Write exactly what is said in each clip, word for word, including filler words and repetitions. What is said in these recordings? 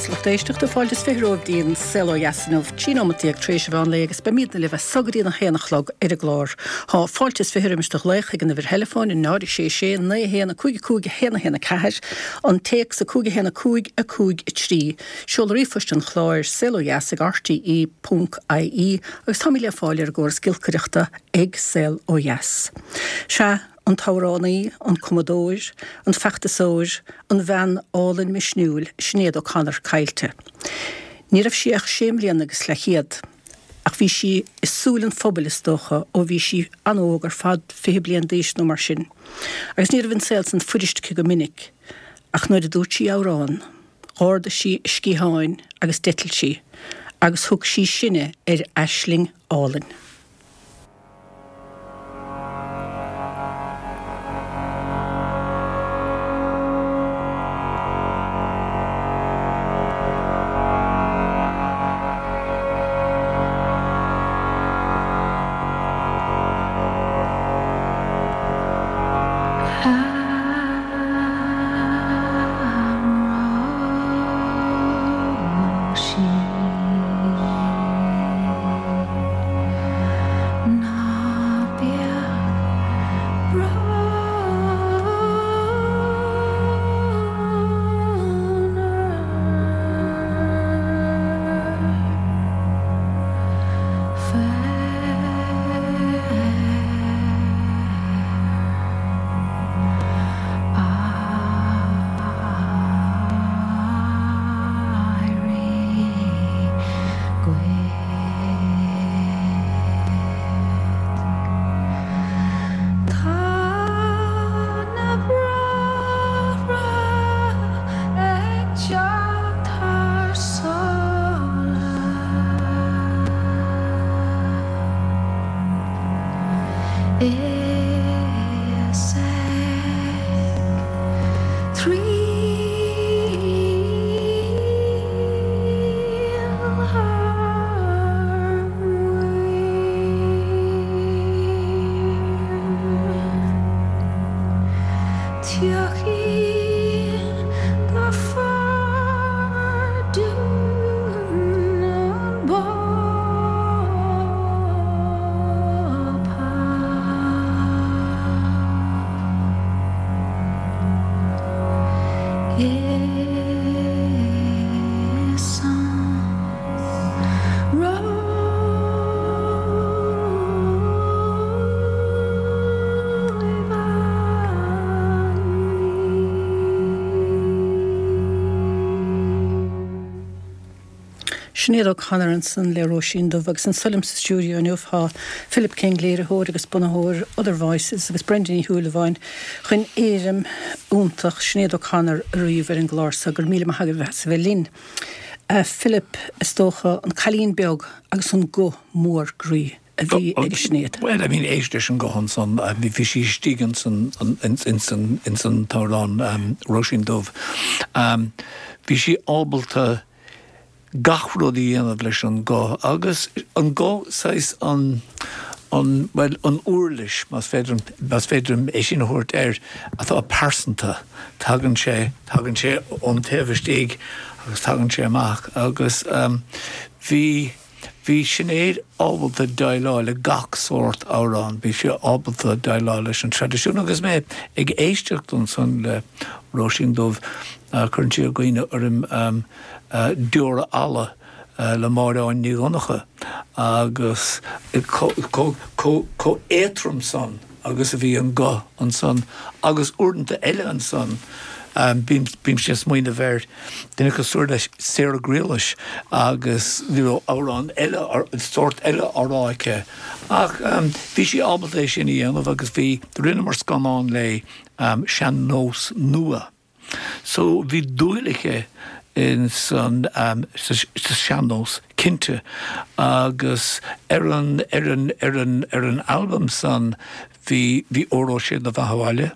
mhaith lucht éisteachta fáilte is fiche romhaibh go dtí an Saol Ó Dheas inniu trí nóiméad déag tar éis an mheán lae agus beimidne libh as so go dtí an haon a chlog ar an gclár. Tá fáilte is fiche roimis do ghlaoch ag an uimhir theileafóin a náid sé sé naoi haon a cúig cúig a haon a haon a ceathair an téacs a cúig a haon a cúig a cúig a trí. Seoladh ríomhphoist an chláir saol ó dheas ag RTE ponc IE agus táimid le fáil ar an gcóras giolcaireachta ag Saol Ó Dheas. Sea, an t-amhránaí, an cumadóir, an feachtasóir, an bhean álainn misniúil Sinéad O'Connor caillte. Ní raibh sí ach sé mbliana agus leathchéad, ach bhí sí i súil an phobail is dócha ó bhí sí an-óg ar fad fiche bliain d'aois nó mar sin. Agus ní raibh an saol san fuirist aici go minic, ach nuair a dúirt sí amhrán, d'ardaigh sí a sciatháin agus d'eitil sí, agus thug sí sinne ar aisling álainn. Sinéad O'Connor ansan le Róisín Dubh agus anseo liom sa stiúideo inniu tá Philip King léiritheoir agus bunaitheoir Other Voices agus Brendan Ní Shúilleabháin chun éirim iontach Sinéad O'Connor a ríomh ar an gclár so go raibh míle maith agaibh as a bheith linn. Uh, Philip is dócha an cailín beag agus an guth mór groí a bhí ag Sinéad. Well, I mean, éist leis an guth ansan bhí sí istigh san ins an t-amhrán um, Róisín Dubh. Um, bhí sí ábalta gach rud a dhéanamh leis an guth agus an guth saghas an an well an uirlis más féidir más féidir é sin a thabhairt air atá pearsanta tagann sé tagann sé ón taobh istigh agus tagann sé amach agus um, bhí bhí Sinéad ábalta déileáil le gach sórt amhrán, bhí sé ábalta déileáil leis an traidisiún agus mé ag éisteacht ansan le Róisín Dubh uh, chuir sé i gcuimhne orm um, uh, Deora Alla uh, le Máire Áine Ní Dhonncha agus chomh éadrom san agus a bhí an guth ansan agus uaireanta eile ansan um, bím sé smaoineamh ar duine cosúil le Sarah Grealish agus ní amhrán eile sórt eile á rá aici. Ach um, bhí sí ábalta é sin a dhéanamh agus bhí rinneamar scannán léi um, sean-nós nua. So bhí dúil aici in san um, sa sean-nós cinnte agus ar an ar an ar an ar an album san bhí bhí Óró Sé do Bheatha 'Bhaile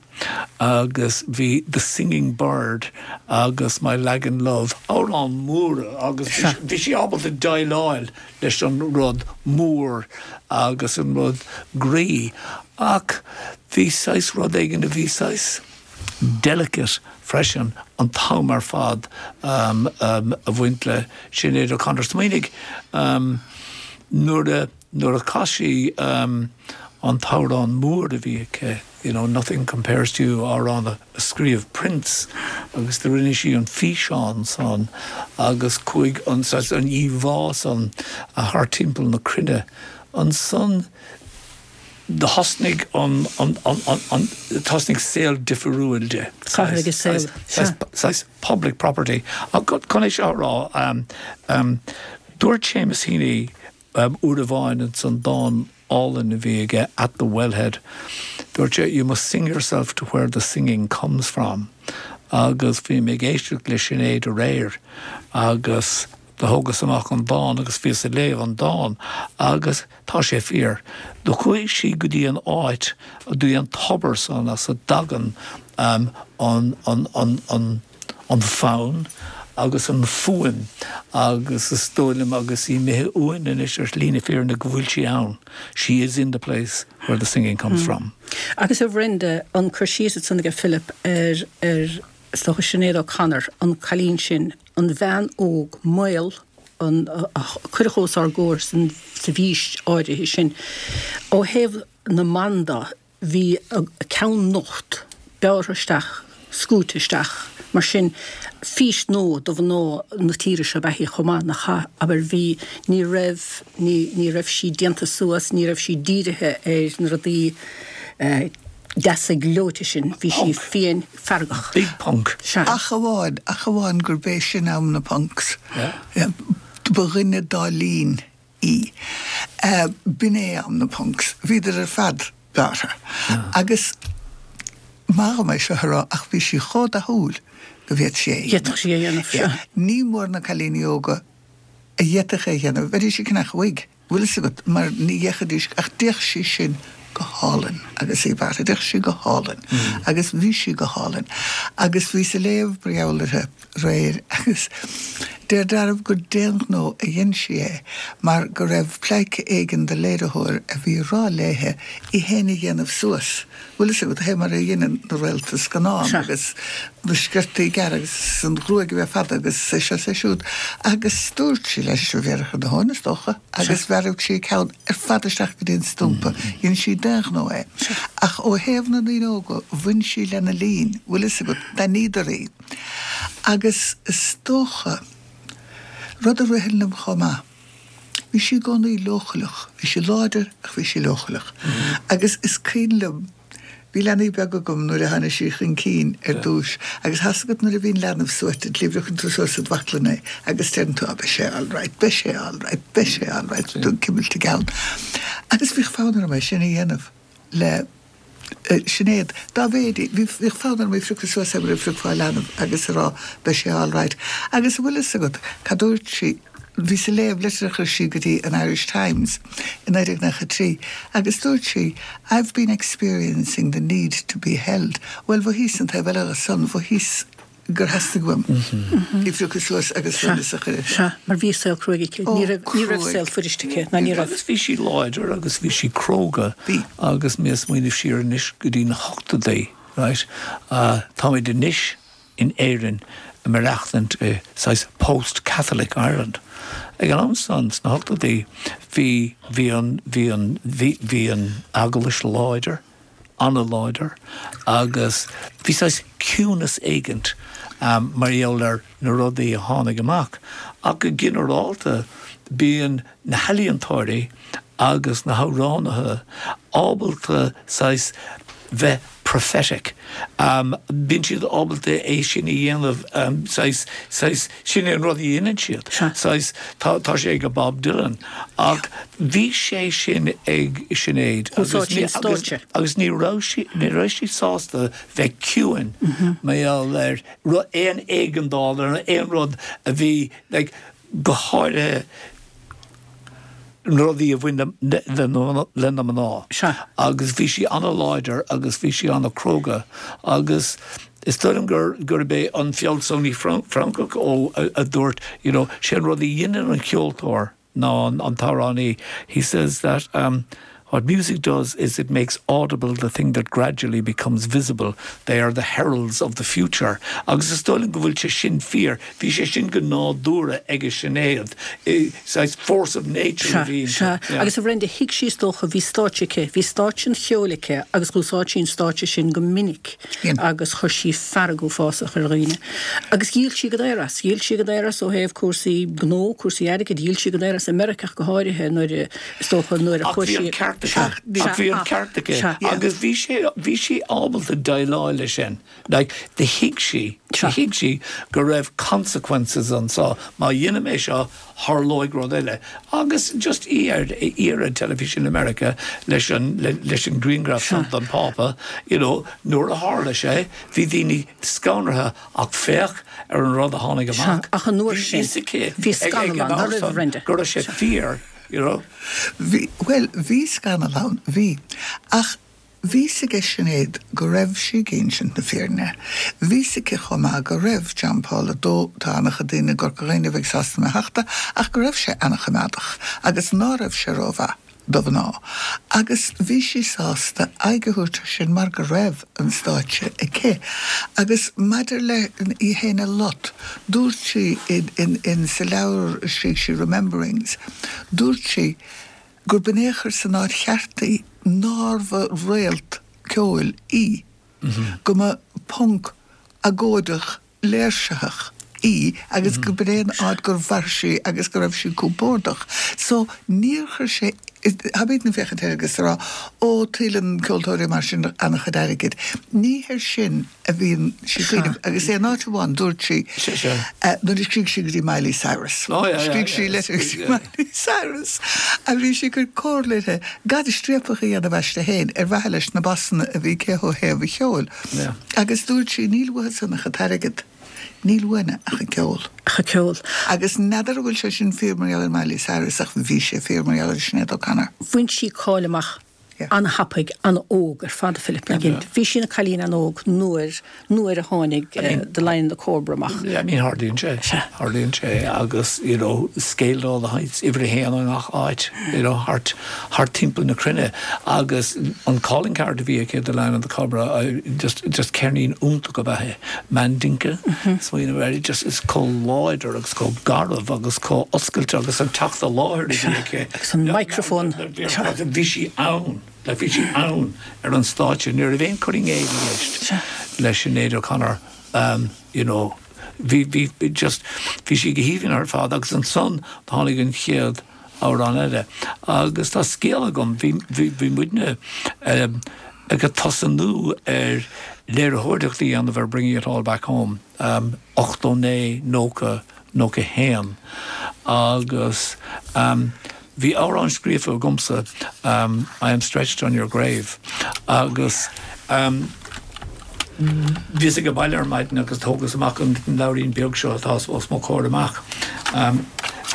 agus bhí The Singing Bird agus My Lagan Love amhráin mhóra agus bhí sí ábalta déileáil leis an rud mór agus an rud groí ach bhí saghas rud éigin a bhí saghas delicate freisin an t-am ar fad um, um, a bhain le Sinéad O'Connor. Smaoinigh um, nuair a nuair a chas sí um, an t-amhrán mór a bhí aici, you know, nothing compares to you amhrán a, a scríobh Prince agus do rinne sí an físeán san agus chuaigh an an íomhá san a thar timpeall na cruinne ansan do thosnaigh an an an an an thosnaigh saol difriúil di. saol. public property. Chun é seo rá um, um, dúirt Seamus Heaney um, uair amháin san dán álainn a bhí aige at the wellhead. Dúirt sé you must sing yourself to where the singing comes from. Agus bhí mé ag éisteacht le Sinéad aréir agus do thógas amach an dán agus bhíos ag léamh an dán agus tá sé fíor. Do chuaigh sí go dtí an áit go dtí an tobar san as a dtagann um, an, an, an, an, an fonn agus an fuaim agus is dóigh liom agus í imithe uainn anois ar shlí na fírinne go bhfuil sí ann. She is in the place where the singing comes mm. from. Agus a Bhrenda an cur síos san ag Philip ar ar stocha Sinéad O'Connor an cailín sin an bhean óg maol an cuireadh os ár gcomhair san sa bhís áirithe sin. Ó thaobh na mban de bhí a ceann nocht bearrtha isteach scúte isteach mar sin fís nua do mhná na tíre seo beithí chomh maith nach ea abair bhí ní raibh ní ní raibh sí déanta suas ní raibh sí dírithe ar na rudaí eh, deasa gleoite sin bhí sí fiáin feargach. Big punk. Ach amháin ach amháin gurb é sin am na punks. Yeah. Ba dhuine dá líon í. Uh, B'in é am na punks, bhíodar ar fad bearrtha. Agus mar mé seo rá ach bhí sí chomh dathúil go bhféadfadh sí é. D'fhéadfadh sí é dhéanamh seo. Ní mór na cailíní óga a d'fhéadfadh é dhéanamh, bheidís ag ceannach wig, bhfuil fhios agat mar ní dhéanfaidís ach d'fhéach sí sin go hálainn agus í bearrtha, d'fhéach sí go hálainn agus bhí sí go hálainn agus bhíos ag léamh mar gheall uirthi aréir agus deir dealramh gur d'aon ghnó a dhein sí é mar go raibh pleidhce éigin de léiritheoir a bhí ag rá léithe í fhéin a dhéanamh suas. Bhfuil fhios agat, fé mar a dhéanann na réalta scannán agus na sciortaí gearra agus an ghruaig a bheith fada agus é seo is é siúd. Agus dúirt sí leis, a bhéarfadh na hóin is dócha, agus bhearraigh sí a ceann ar fad isteach go dtí an stumpa. Dhein sí d'aon ghnó é. Ach ó thaobh na ndaoine óga, bhain sí lena líon, bhfuil fhios agat, d'aithníodar í. Agus is dócha, rud a ritheann liom chomh maith, bhí sí i gcónaí leochaileach, bhí sí láidir ach bhí sí leochaileach. Agus is cuimhin liom, bhí leanaí beaga agam nuair a tháinig sí chun cinn ar dtús agus tá fhios agat nuair a bhíonn leanbh suaite, líomhrachann tú suas i do bhaclainn é agus deireann tú, ah beidh sé alright, beidh sé alright, beidh sé alright, tú ag cuimilt a gceann. Agus bhíodh fonn orm é sin a dhéanamh le Sinéad, dá mhéad í, bhíodh fonn orm í a phriocadh suas mar a phriocfá leanbh agus a rá beidh sé alright. Agus an bhfuil fhios agat cad dúirt sí, bhíos ag léamh litir a chuir sí go dtí an Irish Times i naoi déag nócha trí agus dúirt sí I've been experiencing the need to be held. Bhuel, mhothaíos an taobh eile dhe san, mhothaíos gur theastaigh uaim í a phriocadh suas agus suaimhneas a chur uirthi. Sea, mar bhí saol cruaidh aici. Ní raibh, ní raibh saol fuirist aici, ná ní raibh. Agus bhí sí láidir agus bhí sí cróga. Bhí. Agus mé ag smaoineamh siar anois go dtí na hochtóidí, right, táimid anois in Éirinn ag maireachtaint i saghas post-Catholic Ireland. Ag an am san, sna hochtóidí, bhí, bhí an, bhí an, bhí, bhí an Eaglais láidir. an-láidir agus bhí saghas ciúnas éigint mar gheall ar na rudaí a tháinig amach. Ach go ginearálta bíonn na healaíontóirí agus na hamhránaithe ábalta saghas bheith prophetic. Bíonn siad ábalta é sin a dhéanamh saghas, saghas, sin é an rud a dhéanann siad. Saghas, tá, tá sé ag Bob Dylan. Ach bhí sé sin ag Sinéad agus ní, agus, agus ní raibh sí, ní raibh sí sásta bheith ciúin mar gheall ar aon éigeandáil ar aon rud a bhí, like, go háirithe, na rudaí a bhain le na mná. Agus bhí sí an-láidir agus bhí sí an-chróga agus is dóigh liom gur gurb é an fealsúnaí Francach ó a dúirt you know sé an rud a dhéanann an ceoltóir ná an an t-amhránaí he says that um, What music does is it makes audible the thing that gradually becomes visible. They are the heralds of the future. Agus is dóigh liom go bhfuil sé sin fíor, bhí sé sin go nádúrtha ag Sinéad. Saghas force of nature a bhí. Agus a Bhrenda thuig sí is dócha bhí stáitse aici, bhí stáitse an cheoil aici agus d'úsáid sí an stáitse sin go minic agus chuir sí fearg uafásach ar dhaoine. Agus dhíol sí go daor as, dhíol sí go daor as ó thaobh cúrsaí gnó, cúrsaí airgid, dhíol sí go daor as i Meiriceá go háirithe nuair is dócha nuair a chuaigh sí. Ach bhí an ceart aici agus bhí sé bhí sí ábalta déileáil leis sin. Like, do thuig sí do thuig sí go raibh consequences anseo má dhéanaim é seo tharlóidh rud eile. Agus just í ar í ar an teilifís in America leis an leis an grianghraf san den Phápa, you know, nuair a tharla sé, bhí daoine scanraithe ach féach ar an rud a tháinig amach. Ach an uair sin, bhí scannal ann, nach raibh, Brenda? Go raibh sé fíor, you know. Bhí, bhuel, bhí scannal ann, bhí. Ach bhí fhios ag Sinéad go raibh sí ag insint na fírinne. Bhí fhios aici chomh maith go raibh John Paul a dó, tá an-chuid daoine i gCorca Dhuibhne a bheidh sásta mé a thachtadh, ach go raibh sé an-choimeádach agus ná raibh sé rómhaith do mhná. Agus bhí sí sásta aghaidh a thabhairt air sin mar go raibh an stáitse aici. Agus maidir le í féin a lot, dúirt sí in, in, in sa leabhar a scrígh sí Rememberings, dúirt sí, gurb in é a chuir san áit cheart í, nár bha réalt ceoil í, go mba punc agóideach léirsitheach í agus go b'in é an áit gur mhair sí agus go raibh sí compordach. So níor chuir sé, tá daoine ag féachaint air agus ag rá, ó tuilleann ceoltóirí mar sin an-chuid airgid. Ní hir sin a bhíonn sí ag cuimhneamh agus aon áit amháin dúirt sí nuair a scrígh sí go dtí Miley Cyrus. Scrígh sí litir go dtí Miley Cyrus a bhí sí ag cur comhairle uirthi gan striapach a dhéanamh aisti féin ar mhaithe leis na bossanna a bhí aici ó thaobh an cheoil. Agus dúirt sí níl uathu san ach an t-airgead. Níl uainne ach an ceol. Ach an ceol. Agus n'fheadar an bhfuil sé sin fíor mar gheall ar Miley Cyrus ach bhí sé fíor mar gheall ar Sinéad O'Connor. Bhain sí cáil amach an-thapaidh, an-óg ar fad, a Philip, nach ea? Bhí sí ina cailín an-óg nuair, nuair a tháinig The Lion and the Cobra amach. I mean, tharlaíonn sé, tharlaíonn sé agus, you know, scaled all the heights, uimhir a haon i ngach áit, you know, thart, thart timpeall na cruinne agus an calling card a bhí aici, The Lion and the Cobra, just, just ceirnín iontach ab ea é, Mandinka, smaoineamh air, just is chomh láidir agus chomh garbh agus chomh oscailte agus an teacht i láthair a bhí aici. Agus an microphone. Bhí sí ann, like bhí sí ann ar an stáitse. Ní raibh aon cur i gcéill i gceist le Sinéad O'Connor, um, you know, bhí, bhí, just, bhí sí go haoibhinn ar fad agus ansan tháinig an chéad amhrán eile. Agus tá scéal agam, bhí, bhí, bhí muidne um, ag tosnú ar léiritheoireacht a dhéanamh ar Bringing It All Back Home, um, ochtó naoi, nócha, nócha haon agus um, bhí amhrán scríofa agamsa, um, I Am Stretched on Your Grave, agus um, bhíos ag baile ar maidin agus thógas amach an leabhairín beag seo atá os mo chomhair amach, um,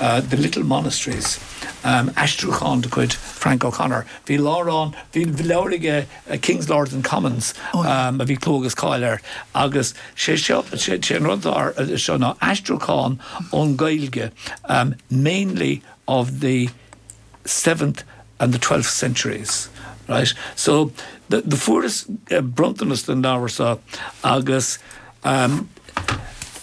uh, The Little Monasteries, um, aistriúchán de chuid Frank O'Connor. Bhí leabhrán, bhí leabhar aige uh, Kings, Lords and Commons, um, a bhí clú agus cáil air, agus sé seo, sé, sé an rud atá seo ná aistriúchán ón Ghaeilge, um, mainly of the seventh and the twelfth centuries. Right? So the, the fuaireas uh, bronntanas den leabhar seo agus um,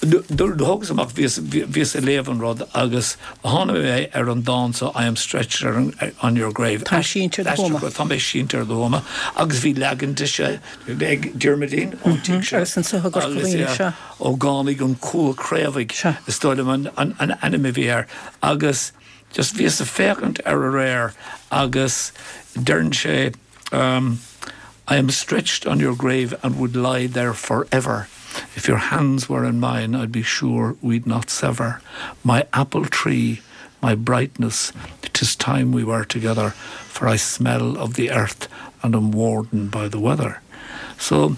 thógas amach bhíos bhíos ag léamh an rud agus tháinig mé ar an dán so I am stretched on, on your grave. Tá sínte ar do thuama. Tá mé sínte ar do thuama agus bhí leagan de se ag Diarmuidín ón tigh seo. Agus anso i gCorca Dhuibhne, sea. Ógánaigh an Cúl Craobhaigh is dóigh liom an, an, an ainm a bhí air agus just bhíos ag féachaint air aréir agus deireann sé um, I am stretched on your grave and would lie there forever. If your hands were in mine, I'd be sure we'd not sever. My apple tree, my brightness, 'tis time we were together, for I smell of the earth and am wardened by the weather. So,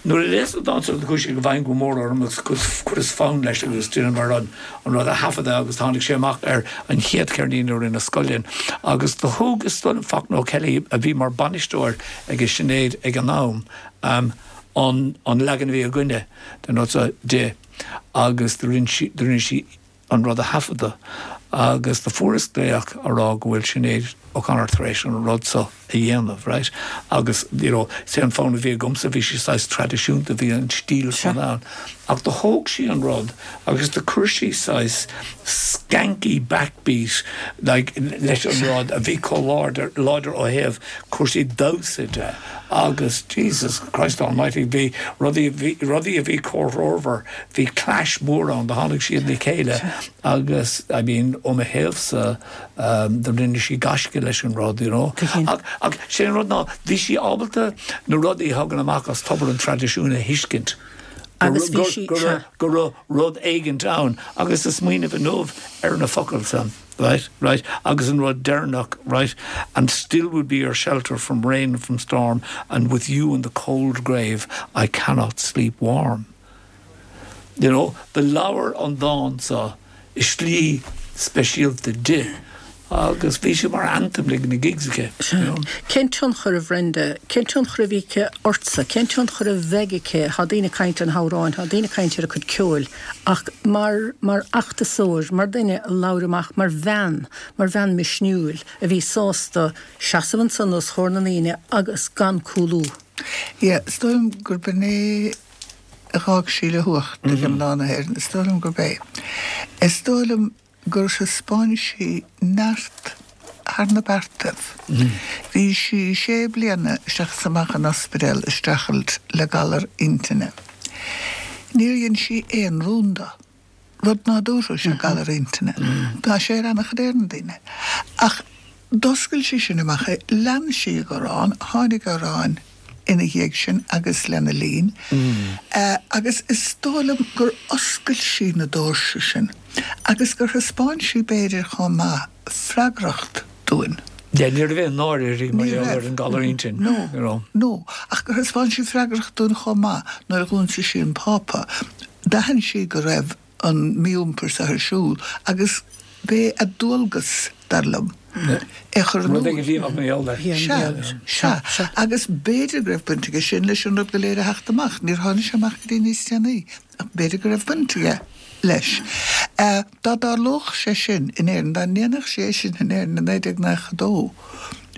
nuair a léas an dán seo chuaigh sé i bhfeidhm go mór orm agus chuireas fonn leis agus dheineamar an an rud a thaifeadadh agus tháinig sé amach ar an chéad cheirnín a rinne Scoil Linn. Agus do thug is dóigh liom Fachtna O'Kelly a bhí mar bainisteoir ag Sinéad ag an am um, an, an leagan a bhí againne den rud seo di agus do rinne sí, do rinne sí an rud a thaifeadadh agus do fuaireas glaoch a rá go bhfuil Sinéad O'Connor tar éis an rud so a dhéanamh, right? Agus you know, sé an fonn a bhí agamsa bhí sé saghas traidisiúnta bhí an stíl san ann. Ach do thóg sí an rud agus do chuir sí saghas skanky backbeat like, leis an rud a bhí chomh láidir láidir ó thaobh cúrsaí damhsa de. Agus Jesus Christ Almighty bhí rudaí bhí rudaí a bhí comhthreomhar, bhí clash mór ann do tháinig siad le chéile agus I mean ó mo thaobhsa um, do rinne sí gaisce leis an rud, you know. Ach, ach sé an rud ná bhí sí ábalta na rudaí a thagann amach as tobar an traidisiúin a thuiscint. Agus bhí sí- go sea. go raibh rud éigint ann agus is smaoineamh inniu ar na focail san. Right, right, agus an rud deireanach, right, and still would be your shelter from rain and from storm, and with you in the cold grave, I cannot sleep warm. You know, do labhair an dán so i slí speisialta di, agus bhí sé mar anthem ag na gigs aici. you know. Cén tionchar a Bhrenda, cén tionchar a bhí aici ortsa, cén tionchar a bheidh aici tá daoine ag caint ar na hamhráin, tá daoine ag caint ar a cuid ceoil, ach mar mar fheachtasóir, mar duine a labhair amach mar bhean, mar bhean misniúil a bhí sásta seasamh ansan os comhair na ndaoine agus gan cúlú. Yeah, is dóigh liom gurb in é a d'fhág sí le huacht ag mná na hÉireann, is dóigh liom gurb é. Is dóigh liom gur thaispeáin sí neart thar na beartaibh. Bhí sí sé bliana isteach is amach an ospidéal ag streachailt le galar intinne. Níor dhein sí aon rún de. Rud nádúrtha sé galar intinne. Tá sé ar an-chuid éireann daoine. Ach d'oscail sí sin amach é, lean sí ag amhrán, tháinig amhráin ina dhiaidh sin agus lena linn. Uh, agus is dóigh liom gur oscail sí na doirse sin, agus gur thaispeáin sí b'fhéidir chomh maith freagracht dúinn. Ja, ní raibh aon náire uirthi mar Ní gheall raibh. ar an galar intinn. No, you know. no, ach gur thaispeáin sí freagracht dúinn chomh maith nuair a dh'ionsaigh sí an Pápa. D'aithin sí go raibh an mí-iompar sa ar siúl agus b'é a dualgas dar liom. É chur in Rud iúl. ag bhí nach mé leis. Sea, sea, agus b'fhéidir go raibh baint aige sin leis an rud go léir a theacht amach, níor tháinig sé amach go dtí níos déanaí, ach b'fhéidir go raibh baint aige leis. Uh, dá dtarlódh sé sin in Éirinn, dá ndéanfadh sé sin in Éirinn in naoi déag nócha dó.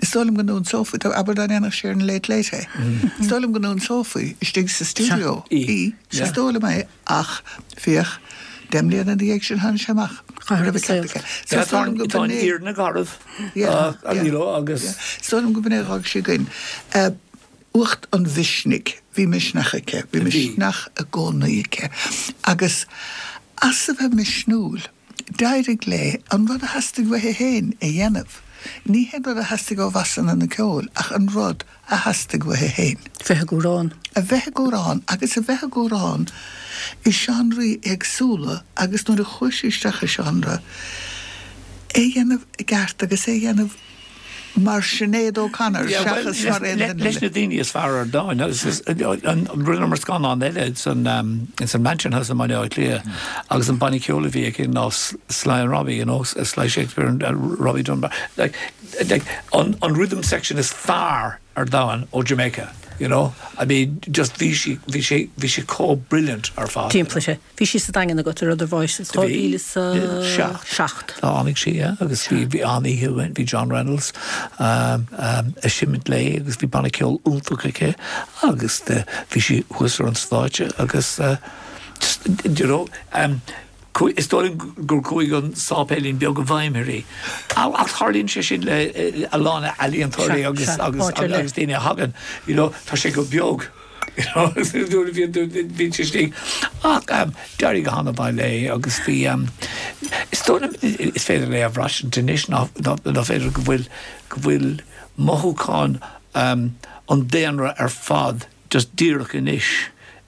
Is dóigh liom go n-ionsófaí, tá abair dá ndéanfadh sé ar an Late Late é. Is dóigh liom go n-ionsófaí istigh sa studio Í. í, Yeah. is dóigh liom é ach féach deich mbliana ina dhiaidh sin tháinig sé amach. Chaithfidh Go raibh a saol. ceart aige. So is dóigh liom go Tá an b'in é- fhírinne garbh Yeah, yeah. you know, agus Is dóigh liom go b'in é a d'fhág sí againn. Uh, uacht an mhisnigh, bhí misneach aici, bhí Bhí. misneach i gcónaí aici. Agus as a bheith misniúil, d'éirigh léi an rud a theastaigh uaithi féin a dhéanamh. Ní hé rud a theastaigh ó mheasanna na ceoil, ach an rud a theastaigh uaithi féin. Bheith ag amhrán. A bheith ag amhrán agus a bheith ag amhrán i seánraí éagsúla agus nuair a chuaigh sí isteach i seánra, é dhéanamh i gceart agus é dhéanamh mar Sinéad O'Connor Yeah, well, seachas mar aon leis duine leis na daoine is fearr ar domhan agus is- an rinneamar scannán eile san um, in san Mansion House in Baile Átha Cliath agus an banna ceoil a bhí aici ná Sly and Robbie, you know, Sly Shakespeare and uh, Robbie Dunbar. Like, like, an, an rhythm section is fearr ar domhan ó Jamaica. You know, I mean, just bhí sí bhí sé bhí sé chomh brilliant ar fad. Timplaí sé. Bhí sí sa Daingean agat ar Other Voices Bhí. dhá mhíle sa Seacht. seacht. Tháinig sí yeah, agus bhí bhí an-oíche bhí John Reynolds um, um, ag seimint léi agus bhí banna ceoil iontach aici agus uh, bhí sí thuas ar an stáitse agus uh, just, you know, um, cu- is dóigh gur chuaigh an sáipéilín beag i bhfeidhm uirthi. Ach tarlaíonn sé sin le eh, a lán ealaíontóirí Sea, agus sea, agus áit ar leith. agus daoine a thagann, you know, tá sé go beag. You know, bhí sé istigh. Ach um, d'éirigh go han-mhaith léi agus bhí um, is dóigh liom is féidir léi a bhraithint anois ná ná féidir go bhfuil go bhfuil mothúchán um, an daonra ar fad just díreach anois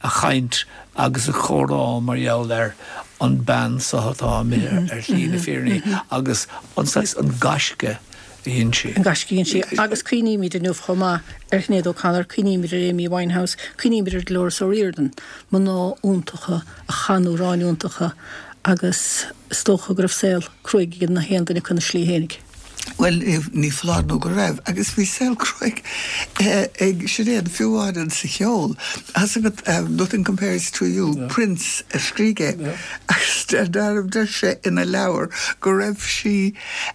ag caint agus ag comhrá mar gheall ar an bean so atá imithe ar shlí na fírinne agus an saghas an gaisce a dhein sí. An gaisce a dhein sí agus cuimhnímid inniu chomh maith ar Sinéad O'Connor, cuimhnímid ar Amy Winehouse, cuimhnímid ar Dolores O'Riordan, mná iontacha a chan amhráin iontacha agus is dócha go raibh saol cruaidh ag na haon duine acu ina slí fhéinig. Well, ní foláir nó go raibh, agus bhí saol cruaidh ag Sinéad fiú amháin sa cheol. As agat um, Nothing Compares to You, yeah. Prince a scríobh é. Agus deir sé ina leabhar go raibh sí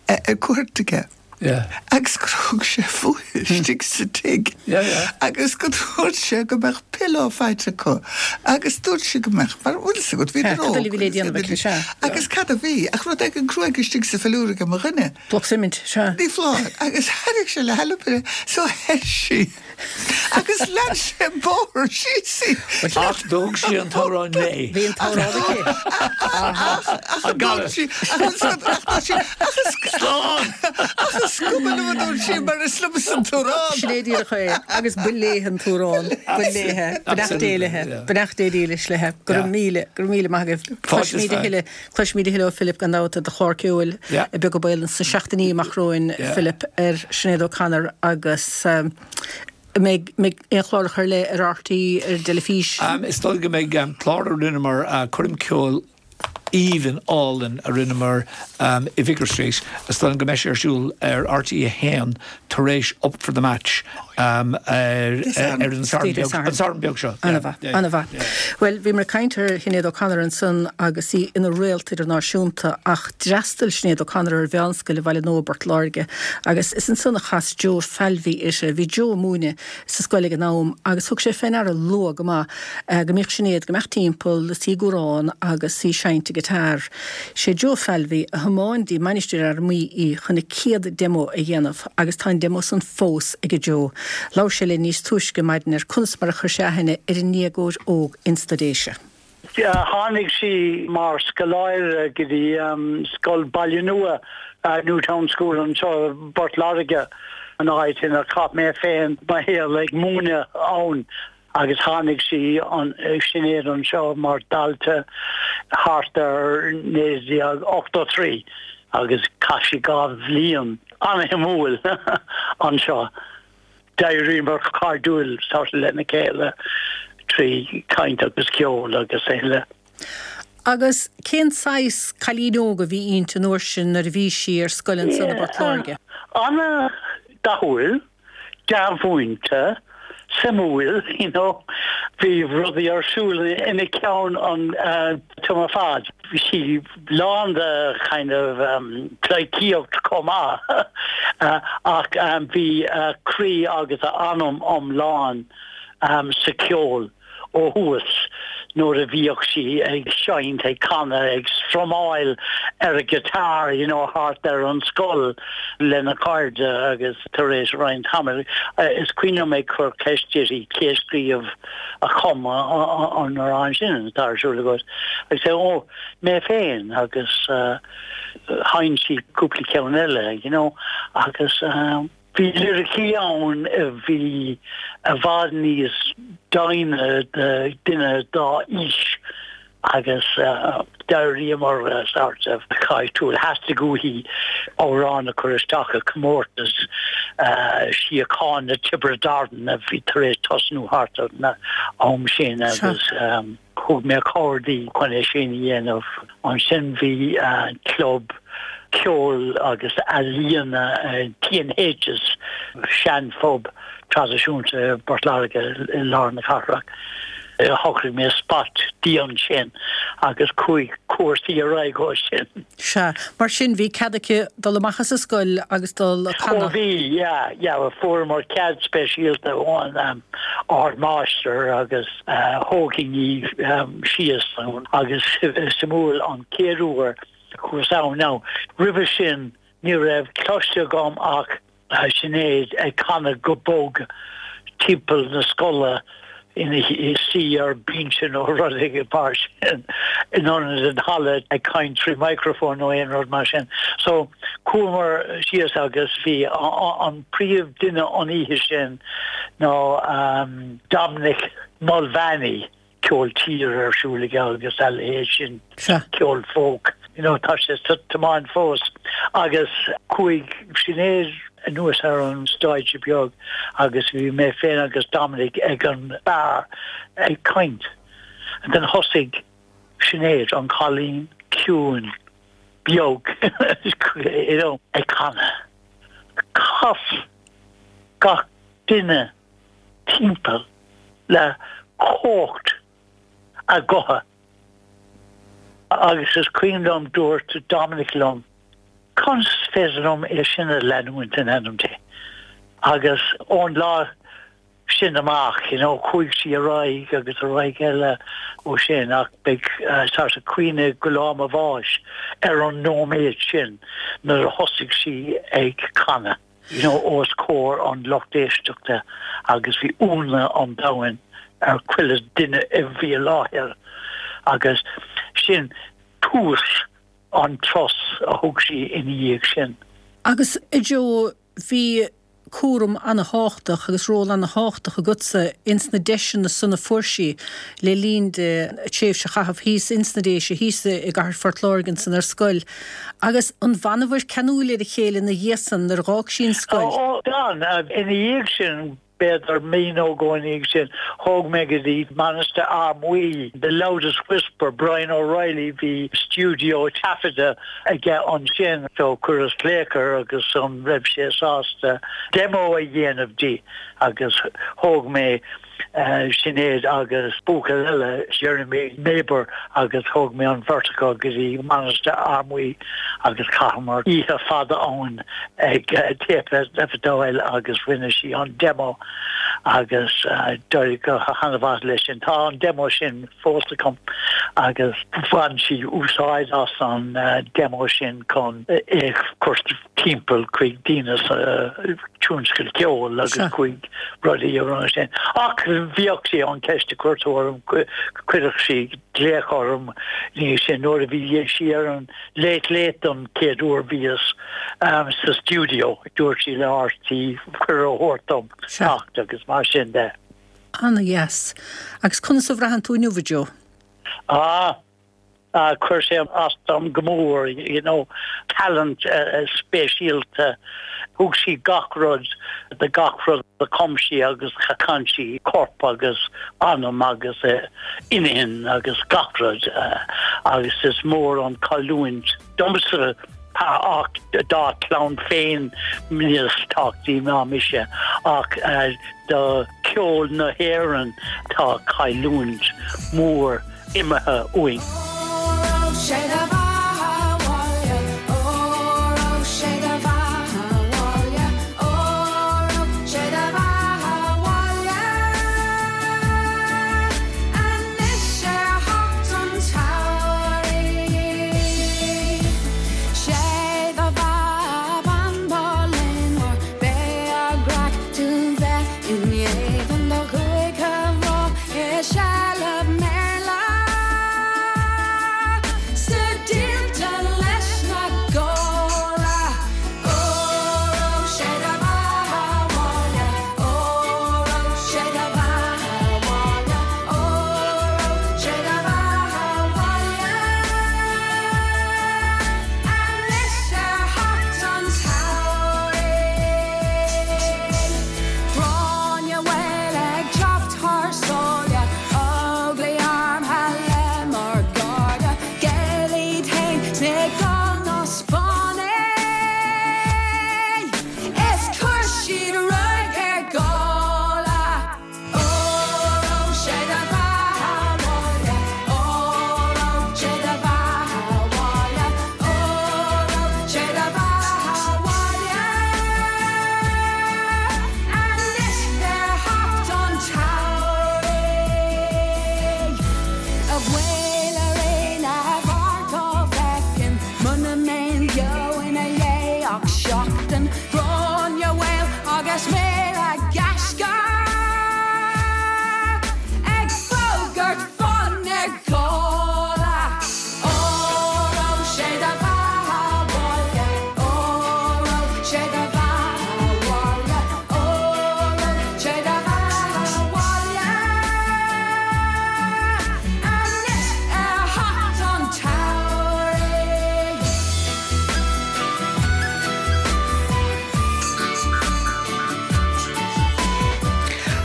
ag cuairt aige. Agus gur thug sé fúithi istigh sa tigh. Agus go dúirt sé go mbeadh pillow fight acu. Agus dúirt sé go mbeadh, mar bhfuil fhios agat, bhíodar óg. Cad a bhí le déanamh aici, sea. Agus cad a bhí, ach rud éigin cruaidh istigh sa philiúr ag mo dhuine. Bloc suimint, sea. Ní foláir. Agus thairg sé le hailpire, so theith sí. Agus lean sé an bóthar síos í. Ach d'fhág sí an t-amhrán léi. Bhí an t-amhrán aici. Ach, ach, ach, dúirt sí, ach, ach, ach, ach, ach, Slán! Ach is cuma liom a dúirt sí mar is liomsa an t-amhrán. Sin é díreach é. Agus ba léi an t-amhrán. Ba léi. Beannacht Dé léi. Beannacht Dé dílis léi. Go raibh míle, go raibh míle maith agaibh. Cloisfimid a thuilleadh, cloisfimid a thuilleadh ó Philip gan dabht i do chlár ceoil Beag Ó Baol sna seachtainí amach romhainn, Philip, ar Sinéad O'Connor agus an mbeidh, mbeidh aon chláracha ar leith ar RTÉ, ar an dteilifís? Is dóigh go mbeidh clár a rinneamar, coirm ceoil aoibhinn álainn a rinneamar i Vicar Street. Is dóigh liom go mbeidh sé ar siúl ar RTÉ a haon tar éis Up for the Match ar an Satharn beag seo. An-mhaith, an-mhaith. Bhuel, bhíomar ag caint ar Shinéad O'Connor ansan agus í ina réalt idirnáisiúnta ach d'fhreastail Sinéad O'Connor ar mheánscoil i Bhaile Nua i bPort Láirge agus is ansan a chas Joe Falvey uirthi. Bhí Joe ag múineadh sa scoil ag an am agus thug sé fé ndeara luath go maith go mbíodh Sinéad ag imeacht timpeall is í ag amhrán agus í ag seinnt an guitar. Sé Joe Falvey a thiomáin dtí Mainistir Fhear Maí í chun a céad demo a dhéanamh agus tá an demo san fós ag Joe. Labhair sé linn níos túisce maidin ar conas mar a chuir sé aithne ar an ndéagóir óg ins na Déise. Tháinig sí mar scoláire go dtí Scoil Baile Nua, Newtown School anseo i bPort Láirge, an áit inar chaith mé féin mo shaol ag múineadh ann agus tháinig sí, Sinéad anseo mar dhalta thart ar naoi déag ochtó trí agus chaith sí dhá bhliain an-shuimiúil anseo. D'éiríomar cairdiúil sort of lena chéile trí chaint agus ceol agus a thuilleadh. Agus cén saghas cailín óg a bhí inti an uair sin nuair a bhí sí ar scoil ansan i bPort Láirge? An-dathúil, dea-mhúinte, suimiúil, you know. Bhí rudaí ar siúl ina ceann an t-am ar fad. Bhí sí lán de kind of pleidhcíocht chomh maith ach bhí a croí agus a anam iomlán sa cheol. ó thús nuair a bhíodh sí ag seinnt, ag canadh, ag strumáil ar a guitar, you know, thart ar an scoil lena cairde agus tar éis roinnt tamaill, is cuimhin liom ag cur ceist uirthi cé a scríobh a chum an amhrán sin atá ar siúl agat agus é, ó, mé féin agus sheinn sí cúpla ceann eile, you know, agus. Bhí liricí ann a bhí i bhfad níos doimhne do dhuine dá aois agus d'éiríomar sort of cairdiúil. Theastaigh uaithi amhrán a chur isteach i gcomórtas síochána Tiobraid Árann a bhí tar éis tosnú thart ar an am sin agus Thug mé cabhair di chun é sin a dhéanamh. Ansin bhí club ceoil agus ealaíona T and H's, sean-phub traidisiúnta i bPort Láirge i lár na cathrach. Shocraigh mé spot di ansin agus chuaigh cúrsaí ar aghaidh ó sin. Sea. Mar sin bhí cead aici dul amach as an scoil agus dul ag canadh? Ó bhí, yeah, yeah. Fuaireamar cead speisialta ón ardmáistir agus. Thógfainn í síos agus is suimiúil an chéad uair a chuas ann now roimhe sin ní raibh cloiste agam ach Sinéad ag canadh go bog timpeall na scoile ina suí ar binse nó rud éigin mar sin in ionad an halla ag caint trí microphone nó aon rud mar sin. So chuamar síos agus bhí an príomh duine an oíche sin ná Dominic Mulvaney, ceol tíre ar siúl aige agus a leithéid sin, ceol folk, you know, tá sé sa tiomáint fós. Agus chuaigh Sinéad anuas ar an stáitse beag agus bhí mé féin agus Dominic ag an beár ag caint. And then thosaigh Sinéad, an cailín ciúin beag, you know, ag canadh. Chas gach duine timpeall le cumhacht a gutha agus is cuimhin liom dúirt Dominic liom, Conas féidir liom é sin a leanúint in ainm Dé. Agus ón lá sin amach, you know, chuaigh sí ar aghaidh agus ar aghaidh eile ó sin ach beidh uh, sort of cuimhne go lá mo bháis ar an nóiméad sin nuair a thosaigh sí ag canadh. You know, os comhair an lucht éisteachta agus bhí ionadh an domhain ar chuile duine a bhí i láthair agus sin tús an turas a thug sí ina dhiaidh sin. Agus a Joe bhí cúram an-tábhachtach agus ról an-tábhachtach agatsa ins na deiseanna san a fuair sí le linn di a tréimhse a chaitheamh thíos ins na Déise thíos i gcathair Phort Láirge san ar scoil. Agus an bhfanabhair ceanúil ar a chéile ina dhiaidh san nuair a d'fhág sí an scoil. Ó d'fhan ina dhiaidh sin b'fhéidir mí nó dhó ina dhiaidh sin thóg mé go dtí Mainistir Fhear Maí, The Loudest Whisper, Brian O'Reilly bhí studio taifeadta aige ansin so chuireas glaoch air agus an raibh sé sásta demo a dhéanamh di agus thóg mé uh, Sinéad agus buachaill eile Jeremy Neighbor agus thóg mé an bheirt acu go dtí Mainistir Fhear Maí agus chaitheamar oíche fada ann ag uh, taifeadadh agus rinne sí an demo agus uh, d'éirigh go han-mhaith leis sin tá an demo sin fós agam agus bhain sí úsáid as an uh, demo sin chun é chur timpeall chuig daoine uh, tionscal ceoil agus chuig rudaí ar sin. Ach bhíodh sí an ceist a chur orm chuireadh sí glaoch orm ní sin nuair a bhí sí ar an Late Late don chéad uair bhíos um, sa studio dúirt sí le RTÉ cuireadh a thabhairt dom teacht agus mar sin de. An-dheas. Agus conas a bhraitheann tú inniu Joe? Ah, uh, chuir sé as dom go mór, you know, talent uh, speisialta thug sí gach rud de gach rud a chum sí agus chan sí corp agus anam agus uh, intinn agus gach rud uh, agus is mór an chailliúint domsa ach dá clann féin níos tábhachtaí ná mise ach uh, do ceol na hÉireann tá cailliúint mór imithe uainn. Sé do bheatha 'bhaile, Óró sé do bheatha 'bhaile, Óró sé do bheatha 'bhaile. Anois ar theacht an tsamhraidh. Sé do bheatha ban léanmhar, B'é a gcraic tú bheith in éadan do chúig mhná i seilbh mBéarla. Sa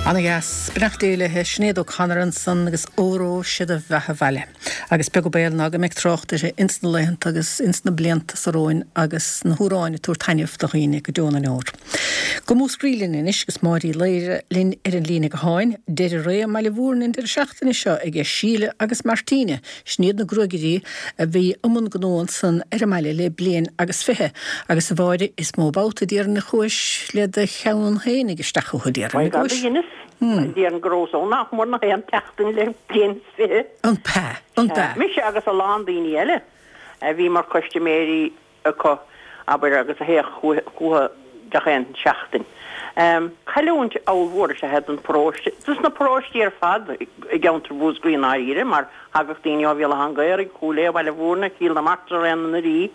Ana dheas, beannacht Dé léi, Sinéad O'Connor ansan agus Óró sé do bheatha 'bhaile. Agus beag an baol ná go mbeidh trácht uirthi ins na laethanta agus ins na blianta so romhainn agus na hamhráin ag tabhairt taitneamh do dhaoine go deo na ndeor. Go Múscraí linn anois agus Máire Uí Laoire linn ar an líne gutháin, deireadh ré i mBaile Mhúirne an deireadh seachtaine seo aige Síle agus Martina, sin iad na gruagairí a bhí i mbun gnó ansan ar an mbaile le bliain agus fiche. Agus a Mháire, is mó babhta déarfainn a chuais le do cheann fhéinig isteach chucu déarfainn, an gcuais? Déarfainn go rabhas ann nach mór nach aon tseachtain le bliain is fiche. An b'ea? An b'ea? Mise agus a lán daoine eile a bhí mar custaiméirí acu, abair, agus a théadh chucu gach aon seachtain. Cailliúint ollmhór is ea é don pharóiste, dos na paróistí ar fad i gceantar Mhúscraí i ndáiríre, mar thagadh daoine ó Bhéal Átha an Ghaorthaidh, Chúil Aodha, Baile Mhúirne, Cill na Martra, Raon na nDoirí,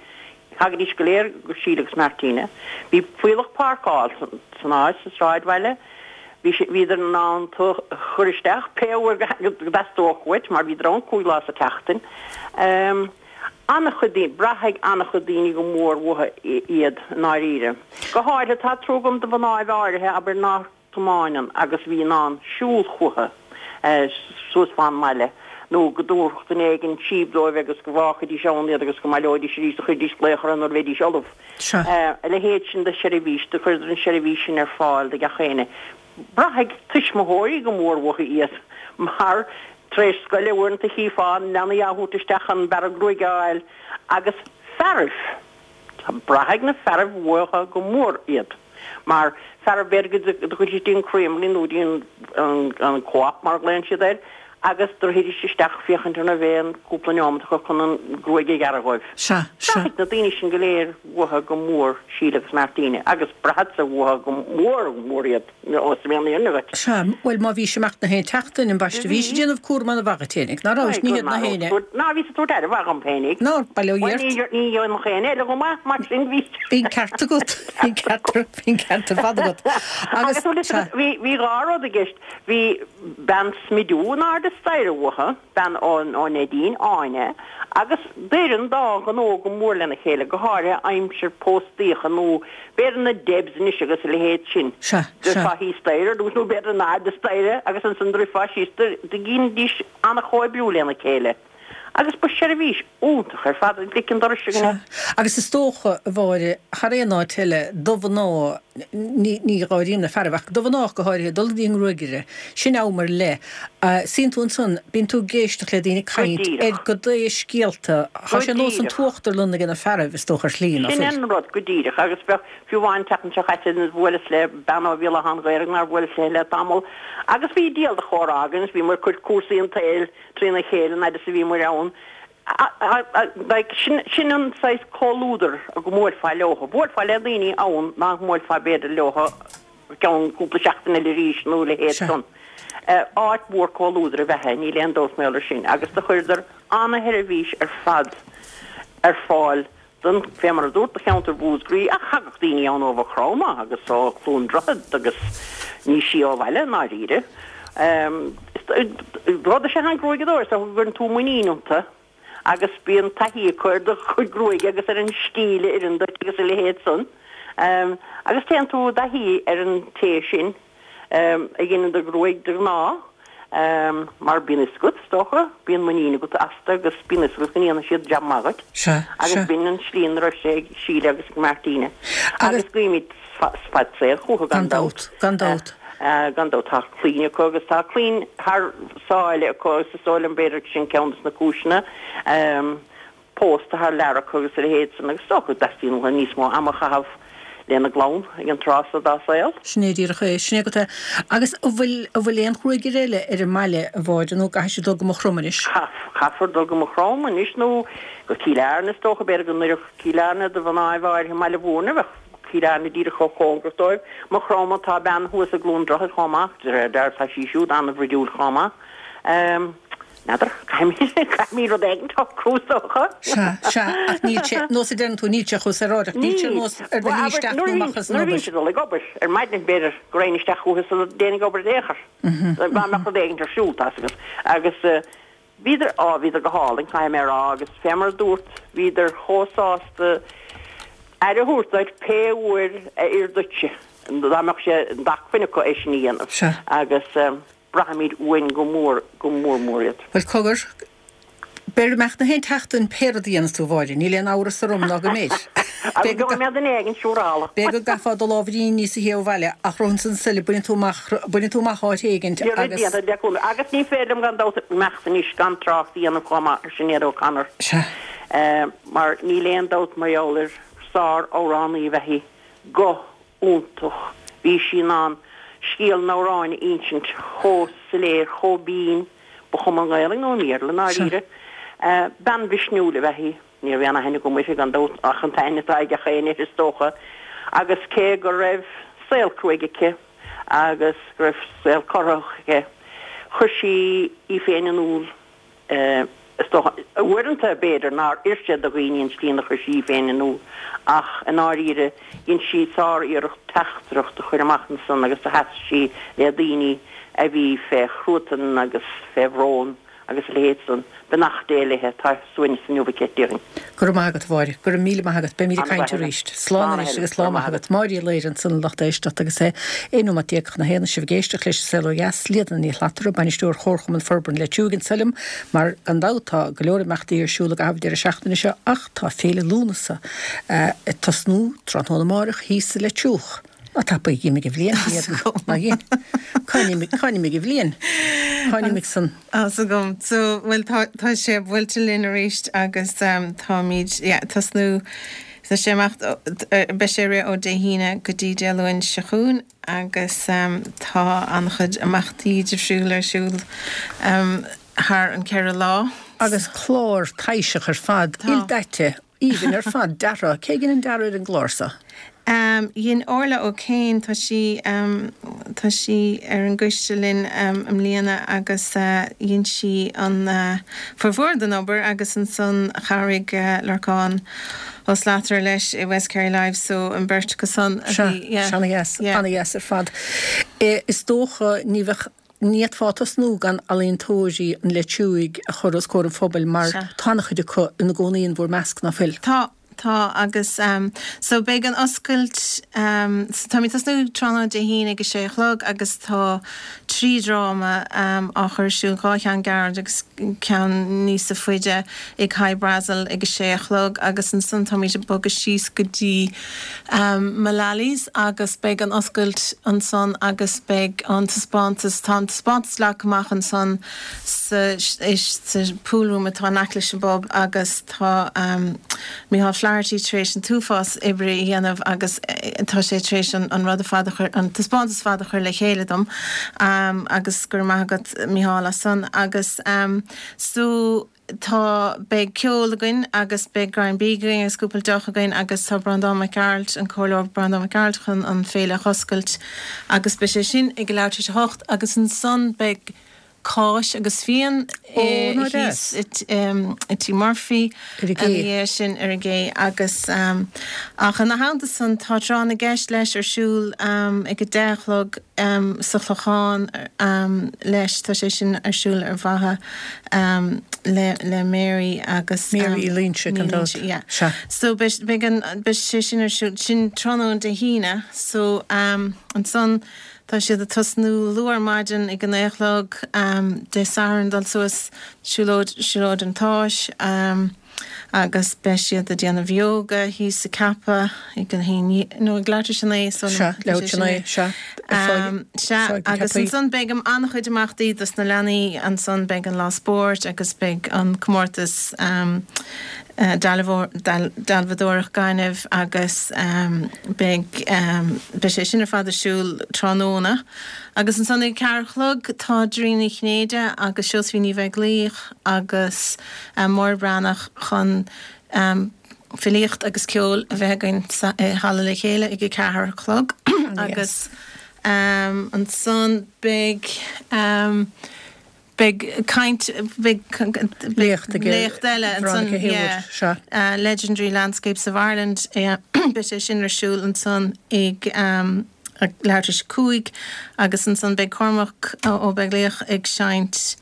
Thagaidís go léir go Síle agus Martina. Bhí fuíollach páirceáil san áit, sa sráidbhaile. Bhí sé, bhíodar in ann tú a chur isteach pé uair go dteastódh uait mar bhíodar ann cúig lá sa tseachtain. An-chuid daoine, braithfidh an-chuid daoine go mór uathu iad i ndáiríre. Go háirithe, tá trua agam do mhnáibh áirithe, abair, ná tiomáineann agus a bhí in ann siúl chucu suas fán mbaile nó go dtabharfadh duine éigin síob dóibh agus go bhfágfaidís ann iad agus go mbaileoidís arís do chuiridís glaoch orthu nuair a bheidís ullamh. A leithéid sin de sheirbhís, do chuireadar an tseirbhís sin ar fáil do gach éinne. Braithfidh tuismitheoirí go mór uathu iad mar tar éis scoile uaireanta chífeá na leanaí á thabhairt isteach chun bearradh gruaige a fháil agus fearaibh. Braithfidh na fearaibh uathu go mór iad. Mar fearaibh b'fhéidir go dtugfaidís dtí an Creamery nó dtí an Co-op mar a ghlaonn siad air agus do rithidís isteach féachaint an raibh aon cúpla neomat acu chun an gruaig a ghearradh dhóibh. Sea, sea. Braithfidh na daoine sin go léir uathu go mór, Síle agus Martina, agus braithfeadsa uathu go mór mór iad, ós mé an fhírinne dhuit. Sea, bhuel má bhís amach na haon tseachtain, ambaiste, bhís ag déanamh cúram ana-mhaith dhuit fhéinig, ná rabhais, ní hiad na héinne. Ná bhíos ag tabhairt aire mhaith dhom féinig. Ná, bail ó Dhia ort. Bhuel ní dhéanfadh éinne eile chomh maith, mar sin bhí. Bhí an ceart agat, bhí an ceart, bhí an ceart ar fad agat. Agus, sea. Bhí, bhí dhá rud i gceist, bhí bean smidiú in airde staighre uathu, bean ó Neidín, Áine, agus d'oir an dá ghnó go mór lena chéile, go háirithe aimsir póstaíocha nó b'fhéidir na Debs anois agus a leithéid sin. Sea, sea. Druidfeá thíos staighre ar dtús nó b'fhéidir in airde staighre agus ansan druidfeá síos, dheinidís an-chomhoibriú lena chéile. Agus ba sheirbhís iontach ar fad ag lic an dorais againne. Sea. Agus is dócha, a Mháire, thar aon áit eile, do mhná, ní, ní dh'áirím na fearaibh, ach do mhná ach go háirithe, dul go dtí an ngruagaire, sin am ar leith. Suíonn tú ansan, bíonn tú ag éisteacht le daoine ag Go caint ar díreach. goidé scéalta, Go tá sé nós an díreach. t-uachtarlann ag na fearaibh, is dócha, ar shlí, ná Sin fuil? an rud, go díreach. Agus bheadh, fiú amháin an tseachtain seo caite, bhuaileas le bean ó Bhéal Átha an Ghaorthaidh nár bhuaileas léi le tamall, agus bhí diabhal de chomhrá againn, is bhí muid ag cur cúrsaí an tsaoil trína chéile an fhaid is a bhí muid ann. Like, sin, sin an saghas comhluadar go mbuailfeá leotha. Bhuailfeá le daoine ann nach mbuailfeá b'fhéidir leotha ceann cúpla seachtain eile arís nó a leithéid Sea. san. Áit mhór comhluadair ab ea é, níl aon dabht mar gheall ar sin. Agus do chuireadar ana-sheirbhís ar fad ar fáil Don, fé mar a dúrt, do cheantar Mhúscraí, ach thagadh daoine ann ó Mhaigh Chromtha agus ó Chluain Droichead agus níos sia ó bhaile, i ndáiríre. Rud is ea an gruaigeadóir, is dócha go gcuireann tú muinín iontu agus bíonn taithí acu ar do chuid gruaige agus ar an stíl a oireann duit agus a leithéid san. Agus téann tú i dtaithí ar an té sin. a dheineann do ghruaig de ghnáth, mar bíonn fhios agat, is dócha, bíonn muinín agat astu agus bíonn fhios agat go ndéanfaidh siad jab maith dhuit. Sea, Agus sea. b'in an tslí ina raibh sé ag Síle agus ag Martina. Agus. Agus guímid fad saoil chucu, Gan gan dabht. dabht, gan dabht. Gan dabht, tá clainn acu agus tá clainn thar sáile acu agus is dóigh liom b'fhéidir sin ceann de na cúiseanna. Pósta thar lear acu agus a leithéid san agus is dócha go dteastaíonn uathu níos mó ama a chaitheamh lena gclann ag an tráth so dá saol. Sin é díreach é. Sin é agat é. Agus an bhfuil, an bhfuil aon ghruagaire eile ar an mbaile, a Mháire, nó an gcaithfidh siad dul go Maigh Chromtha anois? Caithfear dul go Maigh Chromtha anois nó go Cill Airne is dócha. B'fhéidir go n-oirfeadh Cill Airne do mhnáibh áirithe i mBaile Mhúirne. Bheadh Cill Airne díreach chomh cóngarach dóibh. Maigh Chromtha, tá bean thuas i gCluain Droichead chomh maith, de réir dealraimh tá sí siúd an-bhruidiúil chomh maith. N'fheadar, caithfimid rud éigin a shocrú is dócha. Sea, sea, ach níl sé, nós a deireann tú, níl sé chomh saoránach, níl sé Níl. nós ar do Bhuel, shlí abair, isteach nó nuair a amach bhíonn, as an nuair a obair. bhíonn siad dul ag obair, ar maidin b'fhéidir go raghainn isteach chucu sula dtéinn ag obair in aon chor. Dá mbeadh rud éigin ar siúl, tá's agat. Agus bhíodar, á, bhíodar go hálainn, caithfidh mé a rá, agus fé mar a dúrt, bhíodar chomh sásta aire a thabhairt duit pé uair a oir duitse. dá mbeadh sé d'acmhainn acu é sin a dhéanamh. Sea. Agus braithimid uainn go mór, go mór mór iad. Bhuel, cogar, b'fhéidir go mbeadh na haon tseachtain pé rud a dhéanas tú, a Mháire, níl aon amhras orm ná go mbeidh. Agus go mbeadh duine éigin siúrála. B'fhéidir go gcaithfeá do lámh níos a théamh abhaile ach romhan san suile baineann tú amach, baineann tú amach áit éigint agus. Déanta le cúnamh. Agus ní féidir liom gan dabht imeacht anois gan trácht a dhéanamh chomh maith ar Sinéad O'Connor. Sea. Mar níl aon dabht mar gheall air, sár-amhránaí ab ea í. Guth iontach. Bhí sí in ann scéal an amhráin a insint chomh soiléir, chomh binn, ba chuma i nGaelainn nó i mBéarla, i ndáiríre. Bean mhisniúil ab ea í. Ní raibh aon aithne agam uirthi gan dabht ach an t-aithne atá ag gach éinne uirthi is dócha. Agus cé go raibh saol cruaidh aici agus go raibh saol corraitheach aici, chuir sí í féin in iúl. Is dócha, uaireanta, b'fhéidir, nár oir sé do dhaoine an tslí inar chuir sí í féin in iúl, ach i ndáiríre, dhein sí sár-iarracht teachtaireacht a chur amach ansan agus do sheas sí le daoine a bhí fé chruatan agus fé bhrón agus a leithéid san. Beannacht Dé léithe, tá suaimhneas inniu aici, déarfainn. Go raibh maith agat, a Mháire. Go raibh míle maith agat. Beimid ag caint arís. Slán anois agus lá maith agat. Máire Uí Laoire ansan, a lucht éisteachta, agus é aon nóimeat déag chun a haon, sibh ag éisteacht leis an Saol Ó Dheas, Líodhna Ní Shlatara, Bainisteoir Chomharchumann Forbartha an Leitriúigh anso liom, mar gan dabht tá go leor imeachtaí ar siúl i gcaitheamh an deireadh seachtaine seo ach tá Féile Lúnasa ag tosnú tráthnóna amárach thíos sa Leitriúch. Ná tapaidh, d'imigh an bhliain, Ná dhein. Cá n-imigh an bhliain? Cá n-imigh san? Tá's agam. So, bhuel, tá, tá sé buailte linn arís agus táimid, yeah, tosnú, tá sé amach, beidh sé ag rith ó Dé hAoine go dtí Dé Luain seo chugainn agus tá an-chuid imeachtaí difriúil ar siúl thar an ceithre lá. Agus clár taibhseach ar fad, ildaite, aoibhinn ar fad, deartha. Cé a dhein an dearadh ar an gclár so? Dhein Orla O'Kane, tá sí, tá sí ar an gcoiste linn i mbliana agus dhein sí an formhór den obair agus ansan chabhraigh Lorcán Ó Slatara leis i West Kerry Live so an bheirt acu san a bhí, yeah. Sea, ana-dheas, ana-dheas ar fad. Is dócha ní bheadh, ní fhéadfá tosnú gan ealaíontóirí an Leitriúigh a chur os comhair an phobail mar tá an-chuid acu ina gcónaí in bhur measc, ná fuil? Tá, tá agus so beidh an oscailt, so táimid ag tosnú tráthnóna Dé hAoine ag a sé a chlog agus tá trí dhráma á chur ar siúl, dhá cheann gairid agus ceann níosa faide ag Hy Brasil ag a sé a chlog agus ansan táimid ag bogadh síos go dtí Mullally's agus beidh an oscailt ansan agus beidh an taispeántas, tá an taispeántas leagtha amach ansan sa sa pool room atá in aice leis an bpub agus tá Micheál Flaherty tar éis an t-uafás oibre a dhéanamh agus tá sé tar éis an an rud ar fad a chur, an taispeántas ar fad a chur le chéile dom agus go raibh maith agat Micheál as san agus so tá, beidh ceol againn agus beidh greim bídh againn agus cúpla deoch againn agus tá Breandán Mac Gearailt, an Comhairleoir Breandán Mac Gearailt chun an féile a oscailt agus beidh sé sin ag a leathuair tar éis a hocht agus ansan beidh cáis agus fíon thíos i Tí Murphy ina dhiaidh sin ar an gcé agus ach ina theannta san tá tráth na gceist leis ar siúl ag a deich a chlog sa Chlochán leis tá sé sin ar siúl ar mhaithe le le Mary agus Mary Uí Loingsigh gan dabht. Yeah. So beidh beidh an beidh sé sin ar siúl sin tráthnóna Dé hAoine so ansan Tá siad ag tosnú luath ar maidin ag a naoi a chlog Dé Sathairn dul suas siúlóid Siúlóid an tSáis agus beidh siad ag déanamh yoga thíos sa Ceapadh ag a haon nó ag leathuair tar éis a naoi so Sea, leathuair tar éis a naoi, sea, ar Sea, agus ansan beidh an-chuid imeachtaí dos na leanaí ansan beidh an lá spóirt agus beidh an comórtas dealbhadóireacht gainimh agus beidh beidh sé sin ar fad ar siúl tráthnóna. Agus ansan ag a ceathair a chlog tá Doirín Ní Chinnéide agus Seosaimhín Ní Bheaglaoich agus Máire Breathnach chun filíocht agus ceol a bheith againn i Halla Le Chéile ag a ceathair a chlog agus ansan beidh Beidh caint, beidh Léacht ag léacht eile ansan, Veronica Haywood, yeah, sea. Legendary Landscapes of Ireland, yeah, beidh sé sin ar siúl ansan ag leathuair tar éis a cúig agus ansan beidh Cormac Ó Beaglaoich ag seinnt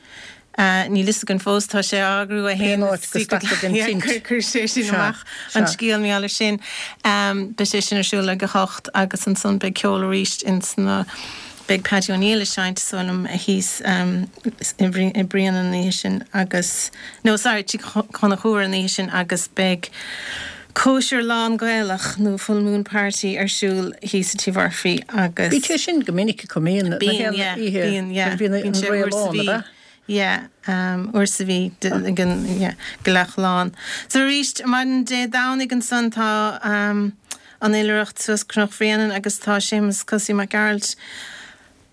Níl fhios againn fós, tá sé á eagrú é Cén fhéin áit go stadfaidh an tint? Chuir sé sin Sea, amach an sea. scéal mar gheall air sin. Beidh sé sin ar siúl ag a hocht agus ansan beidh ceol arís ins na, beidh Paddy O'Neill ag seinnt is dóigh liom thíos i Bréanainn an oíche sin agus, no sorry, Tigh Chonchúir an oíche sin agus beidh cóisir lán Gaelach nó Full Moon Party ar siúl thíos i Tigh Mhurphy agus. Bíonn sé sin go minic acu, mbíonn, na Bíonn, haon yeah, oíche, bíonn, yeah, bíonn bíonn an sé réal uair sa lán, mhí. ab ea? Yeah, um, uair sa mhí ag an, yeah, gealach lán. So arís, maidin Dé Domhnaigh ansan tá um, an oilithreacht suas Cnoc Bhréanainn agus tá Séamus Cosaí Mac Gearailt,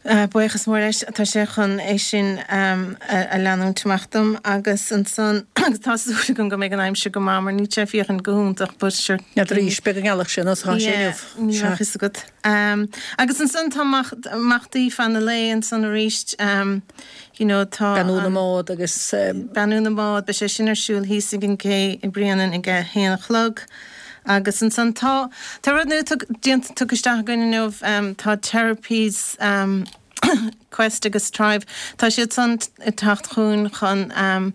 uh, buíochas mór leis, tá sé chun é sin um, a, a leanúint amach dom agus ansan agus tá súil agam go mbeidh an aimsir go maith mar níl sé féachaint go hiontach but sure. N'fheadar arís, beidh an ghealach sin os tá sé Yeah, inniu. ní Sea. bheadh fhios agat. Um, agus ansan tá imeachtaí fan na lae ansan arís, um, you know, tá Beannú na an- mbád agus um, Beannú na mbád, beidh sé sin ar siúl thíos ag an gcé i mBréanainn ag a haon a chlog. Agus ansan tá tá rud nua tug- déanta tugtha isteach againn inniu, um, tá therapies um, Quest agus Tribe, tá siad san ag teacht chugainn chun um,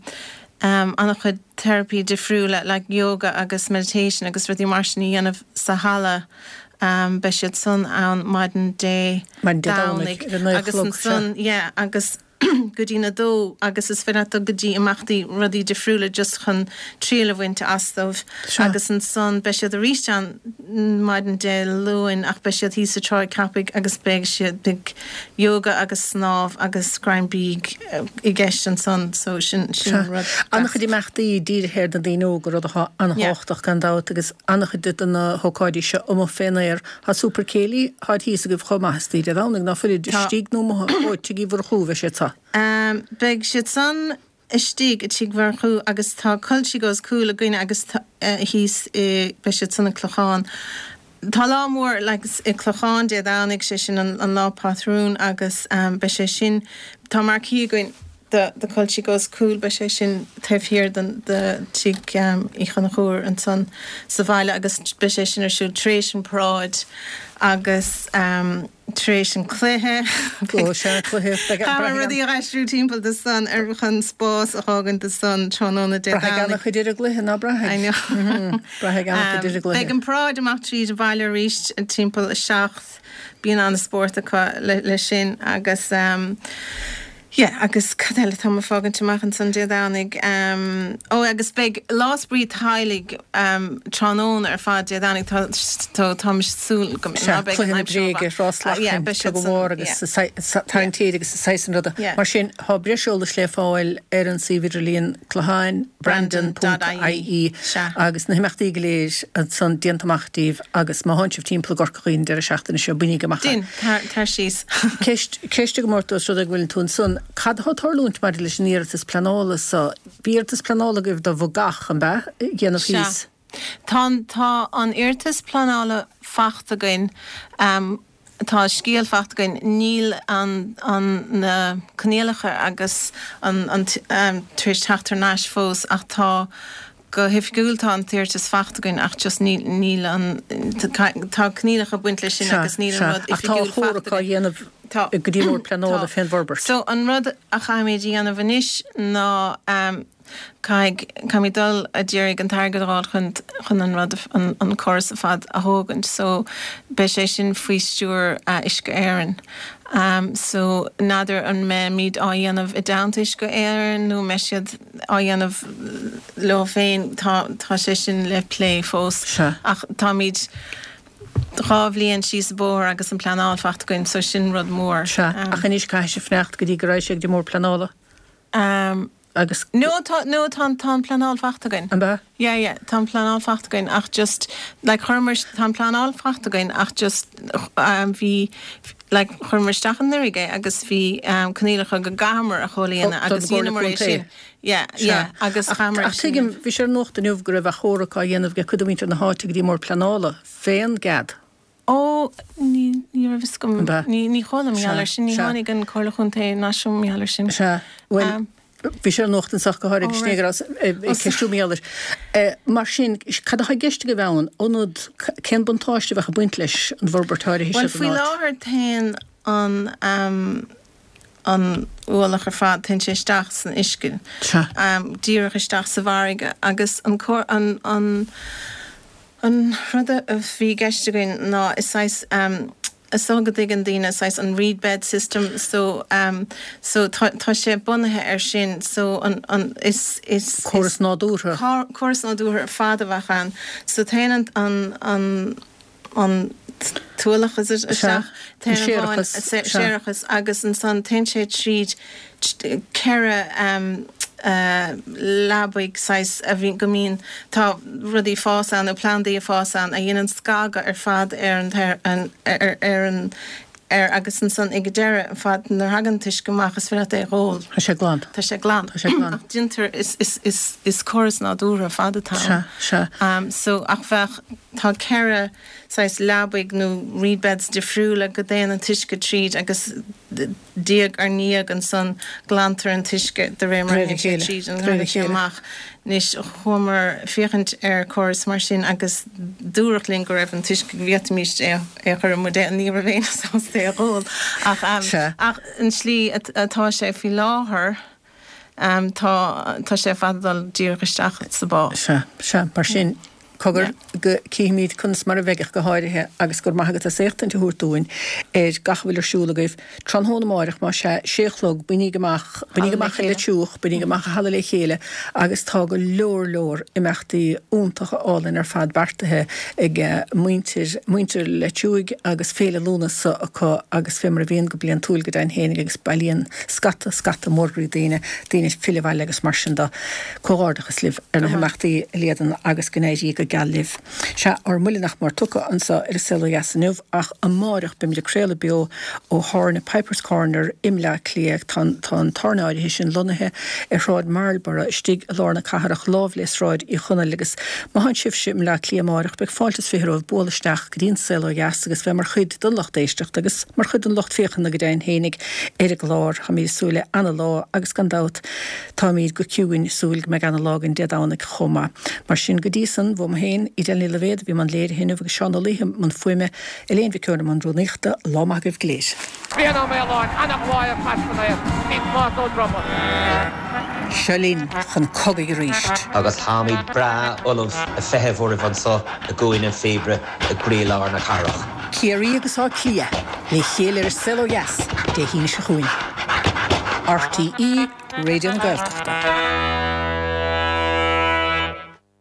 um, an-chuid therapy difriúla like yoga agus meditation agus rudaí mar sin a dhéanamh sa halla. Um, beidh siad san ann maidin Dé Maidin Dé Domhnaigh, ar a naoi a agus chlog, ansan, yeah, agus go dtí na dó agus is féidir go dtí imeachtaí rudaí difriúla just chun triail a bhaint astu Sea. agus ansan beidh siad arís ann maidin Dé Luain ach beidh siad thíos sa Tráigh Cheapaigh agus beidh siad beidh yoga agus snámh agus greim bídh i gceist ansan so sin sin Sea. rud An-chuid imeachtaí dírithe ar na daoine óga rud atá an-tábhachtach gan dabht agus an-chuid de na hócáidí seo amuigh fén aer. Tá Super Céilí, tá thíos agaibh chomh maith istigh Dé Domhnaigh ná fuilid Tá. istigh nó amuigh ó Tigh Uí Mhurchú bheidh siad sa. Um, beidh siad san istigh i Tigh Mhurchú agus tá Culture Goes Cool againn agus tá, uh, thíos i beidh siad san i Clochán. Tá lá mór like, i Clochán Dé Domhnaigh sé sin an, an lá patrún agus um, beidh sé sin tá marquee againn de de Culture Goes Cool beidh sé sin taobh thiar den de Tigh um, Uí Chonchúir ansan sa bhaile agus beidh sé sin ar siúl tar éis an paráid agus um, tar éis an cluiche. Ó, sea, cluiche. Beidh- Tá braithfidh rudaí a aistriú timpeall de san ar chun spás a fhágaint de san tráthnóna Dé Braithfidh Domhnaigh. an-chuid ar an gcluiche ná braithfidh. I know. Braithfidh an-chuid ar an gcluiche. Beidh an paráid amach tríd an bhaile arís timpeall a seacht bíonn an-spórt acu le, le sin agus um, yeah, agus cad eile tá mé ag fágaint amach ansan Dé Domhnaigh. Um, ó agus beidh lá spraoi teaghlaigh um, tráthnóna ar fad Dé Domhnaigh tá tá tá súil go Sea, ná beidh cluiche an na aimsir bréige, mhaith. rás Ah, yeah, lachan, beidh siad tug san- mhór agus yeah. tarraingt téide agus saghas ruda. Yeah. Mar sin tá breis eolais le fáil ar an suíomh idirlíon clochán brandon.ie Sea. agus na himeachtaí go léir ansan déanta amach daoibh agus má tánn sibh timpeall i gCorca Dhuibhne deireadh seachtaine seo bainigí amach. Din, tar, tar síos. Ceist ceist go mór rud ag bhfuil tú ansan, cad atá ag tarlúint maidir leis an iarratas pleanála so bhí iarratas pleanála agaibh do bhogach an bea dhéanamh Sea. thíos. Tá tá an iarratas pleanála faighte againn um, tá scéal faighte againn níl an, an na coinníollacha agus an, an t- um, tar éis teacht thar n-ais fós ach tá go hoifigiúil tá an t-iarratas faighte againn ach just níl, níl an tá tá coinníollacha baint leis sin Sea, agus níl sea. an rud Ach tá oifigiúil chomhrá faighte againn. dhéanamh Tá. go dtí mór pleanála Tá. fén bhforbairt. So an rud a chaithfimid a dhéanamh anois ná um, caithfidh caithfimid dul a d'iarraidh an t-airgead a fháil chun chun an rud an, an córas ar fad a thógaint. So beidh sé sin faoi stiúir uh, Uisce Éireann. Um, so n'fheadar an mbeimid á dhéanamh i dteannta Uisce Éireann nó mbeidh siad á dhéanamh leo féin tá tá sé sin le plé fós. Sea. Ach táimid dhá bhliain síos an bóthar agus an pleanáil faighte againn, so sin rud mór. Sea, Um, ach anois caithfidh sibh fanacht go dtí go raibh sé go dtí mór pleanála um, agus No tá no tá tá an pleanáil faighte againn. an bea? Yeah, yeah, tá an pleanáil faighte againn ach just like chuireamar tá an pleanáil faighte againn ach just um, bhí like chuireamar isteach anuraidh é agus bhí um, coinníollacha go gcaitheamar a chomhlíonadh Ó, agus don Gcomhairle dhéanamar é Contae. sin. Yeah, yeah, agus Ach chaitheamar ach tuigim bhí sé ar nuacht inniu go raibh achomharc á dhéanamh ag cuid de mhuintir na háite go dtí mór pleanála fén gcead. Ó ní ní raibh fhios agam An bea? ní ní chuala Sea, mé air sin ní sea. tháinig an Comhairle Chontae náisiún mé air sin. Sea, well, Um, bhí sé ar nuacht anseo go háirithe Ó, snégar ceistiú méalar. Mar sin cad atá i gceist agaibh ann ionad cén buntáiste bheadh ag baint leis an bhforbairt áirithe Well seo faoi don áit? láthair téann an um, an ualach ar fad téann sé isteach san uisce. Sea. Díreach isteach sa bhfarraige agus an an an an rud a bhí i gceist againn ná is saghas is dócha go dtuigeann daoine saghas an reed bed system so so tá tá sé bunaithe ar sin so an an is is Córas nádúrtha. Córas nádúrtha ar fad a bheadh ann so téann an an an an t-ualach is it isteach téann an bháin séarachas agus ansan téann sé tríd ceithre leabaidh saghas a bhí go mbíonn tá rudaí fás ann nó plandaí ag fás ann a dhéanann scagadh ar fad ar an ar ar an ar agus ansan ag an deireadh ar fad nuair a thagann an t-uisce amach is féidir leat é a dh'ól. Tá sé glan. Tá sé glan. Tá sé glan. Ach déantar is is is is córas nádúrtha ar fad atá ann. Sea, sea. So ach bheadh tá ceithre saghas leabaidh nó reed beds difriúla go dtéann an t-uisce tríd agus diaidh ar ndiaidh ansan glantar an t-uisce de réir mar a théann sé tríd an thagann sé amach. Anois chuamar féachaint ar córas mar sin agus dúradh linn go raibh an t-uisce go bhféadfaimis é a chur i mbuidéal, ní raibh éinne sásta é a dh'ól ach ach an tslí atá sé faoi láthair tá tá sé ar fad ag dul díreach isteach sa bá. Sea, sea, mar sin Cogar go cífimid conas mar a bheidh ach go háirithe agus go raibh maith agat as éachtaint a thabhairt dúinn ar gach a bhfuil ar siúl agaibh tráthnóna amáireach, más ea, sé a chlog, bainíg amach, bainíg amach i Leitir Cuach, bainíg amach i Halla Le Chéile agus tá go leor leor imeachtaí iontacha álainn ar fad beartaithe ag muintir, muintir Leitir Cuaig agus Féile Lúnasa acu agus fé mar a bhíonn go bliantúil go deimhin fhéinig agus bailíonn scata, scata mór groí daoine, daoine ag filleadh abhaile agus mar sin de. Comhghairdeachas libh ar na himeachtaí a Líadan agus go n-éirí go geal libh. Sea, ár mbuille nach mór tugtha anso ar An Saol Ó Dheas inniu ach amáireach beimid ag craoladh beo ó thábhairne Piper's Corner i mBleá Cliath. Tá an tá an tábhairne áirithe sin lonnaithe ar Shráid Marlborough istigh i lár na cathrach lámh le Sráid Uí Chonaill agus má thánn sibhse i mBleá Cliath amáireach beidh fáilte is fiche romhaibh bualadh isteach go dtí An Saol Ó Dheas agus bheith mar chuid den lucht éisteachta agus mar chuid den lucht féachana go deimhin fhéinig ar an gclár. Táimid ag súil le ana-lá agus gan dabht táimid go ciúin ag súil go mbeidh ana-lá againn Dé Domhnaigh chomh maith. Mar sin, go dtí san, uaim féin, Edel Ní Loibhéad a bhí i mbun léirithe inniu agus Seán Ó Laoithe i mbun fuaime, Elaine Mhic Eoin i mbun rúnaíochta. Lá maith agaibh go léir. Brian Ó Maoláin, ana-ghlao ar Chaisleán air, bhí Tomás Ó Droma. Seo linn chun cogaidh arís. Agus táimid breá ullamh a feitheamh oraibh anso i gCúinne an Phíobaire i gcroílár na cathrach. Ciarraí agus Áth Cliath le chéile ar An Saol Ó Dheas Dé hAoine seo chugainn. RTÉ Raidió na Gaeltachta.